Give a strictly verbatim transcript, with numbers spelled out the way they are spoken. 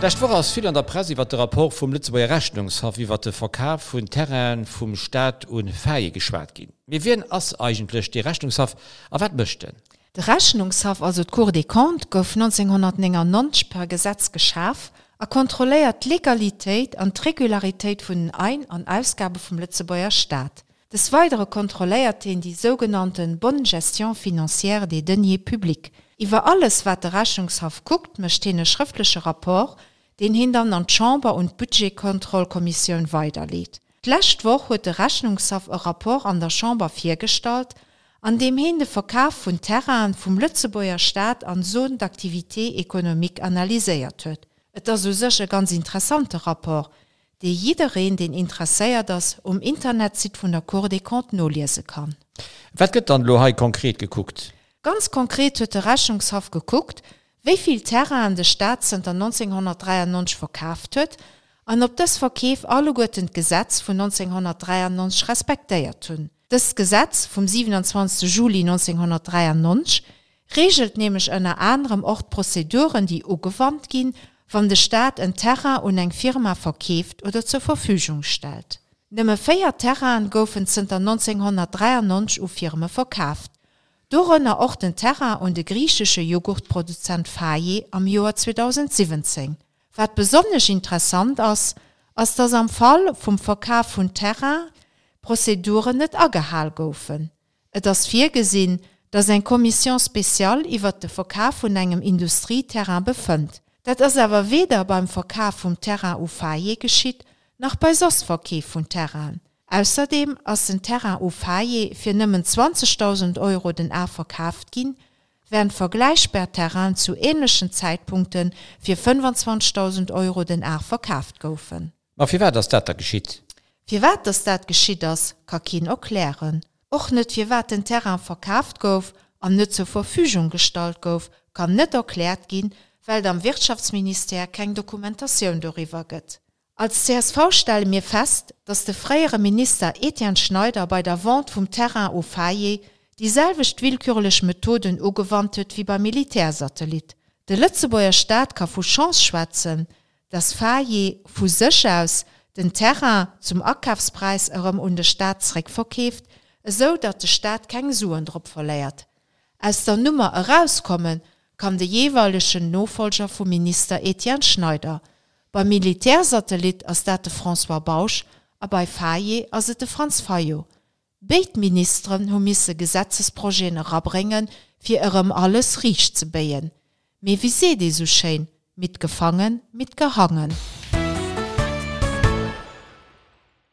D'lescht Woch ass vill an der Press iwwer de Rapport vum Lëtzebuerger Rechnungshaff iwwer de Verkaf vun Terraine vum Staat un Faye geschwat ginn. Mee wien ass eigentlech dee Rechnungshaff a wat mécht en? De Rechnungshaff, also d'Cour des Comptes, gouf nonzénghonnertnéngannonzeg per Gesetz geschaf a kontrolléiert d'Legalitéit an d'Regularitéit vun den Ein an Ausgabe vum Lëtzebuerger Staat. Des Weidere kontrolléiert hien déi sougenannte bonne gestion financière des deniers publics. Iwwer alles, wat de Rechnungshaff kuckt, mécht hien e schrëftleche Rapport, deen hien dann an d'Chamber un d'Budgetkontrollkommissioun weiderleet. D'lescht Woch huet de Rechnungshaff e Rapport an der Chamber virgestallt, an deem hien de Verkaf vun Terrainen vum Lëtzebuerger Staat an Zones d'activité économique analyséiert huet. Et ass u sech e ganz interessante Rapport, dee jiddereen, deen interesséiert ass, um Internetsite vun der Cour des Comptes noliese kann. Wat gëtt dann elo hei konkret gekuckt? Ganz konkret huet de Rechnungshaff gekuckt, wéi vill Terrainen de Staat zënter nonzénghonnertdräiannonzeg verkaaft huet an ob dës Verkeef alleguerten d'Gesetz vun nonzénghonnertdräiannonzeg respektéiert hunn. Dëst Gesetz vum siwenanzwanzegste Juli nonzénghonnertdräiannonzeg reegelt nämlech ënner anerem och d'Prozeduren, déi ugewannt ginn, wann de Staat en Terrain un eng Firma verkeeft oder zur Verfügung stellt. Nëmme véier Terrainen goufen zënter nonzénghonnertdräiannonzeg u Firme verkaaft, dorënner och den Terrain un de griichesche Jughurtproduzent Faye am Joer zweedausendsiwwenzéng. Wat besonnesch interessant ass, ass dass am Fall vum Verkaf vun Terrainen d'Prozeduren net agehal goufen. Et ass virgesinn, dass eng Commission spéciale iwwert de Verkaf vun engem Industrieterrain befënnt. Dat ass awer weder beim Verkaf vum Terrain u Faye geschitt, nach bei soss Verkeef vun Terrainen. Ausserdeem ass den Terrain u Faye fir nëmmen zwanzegdausend Euro den Ar verkaaft ginn, wärend vergläichbar Terrainen zu änlechen Zäitpunkte fir fënnefanzwanzegdausend Euro den Ar verkaaft goufen. Ma firwat ass dat da geschitt? Firwat dass dat geschitt ass, ka keen erklären. Och net firwat den Terrain verkaaft gouf an net zur Verfügung gestallt gouf, kann net erkläert ginn, well et am Wirtschaftsministère keng Dokumentatioun doriwwer gëtt. Als C S V stelle mir fest, dass de fréiere Minister Etienne Schneider bei der Vente vum Terrain u Faye déi selwecht willkürlech Methoden ugewannt huet wéi beim Militärsatellit. De Lëtzebuerger Staat ka vu Chance schwätzen, dass Faye vu sech aus den Terrain zum Akafspräis erëm un de Staat zeréckverkeeft, esou datt de Staat keng Suen drop verléiert. Aus der Nummer erauskomme kann de jeeweilegen Nofollger vum Minister Etienne Schneider. Beim Militärsatellit ass dat de François Bausch a bei Faye ass et de Franz Fayot. Béid Ministeren hu misse Gesetzesprojeten erabréngen, fir erëm alles riicht ze béien. Mee wéi seet ee sou schéin, Mitgefangen, mitgehangen.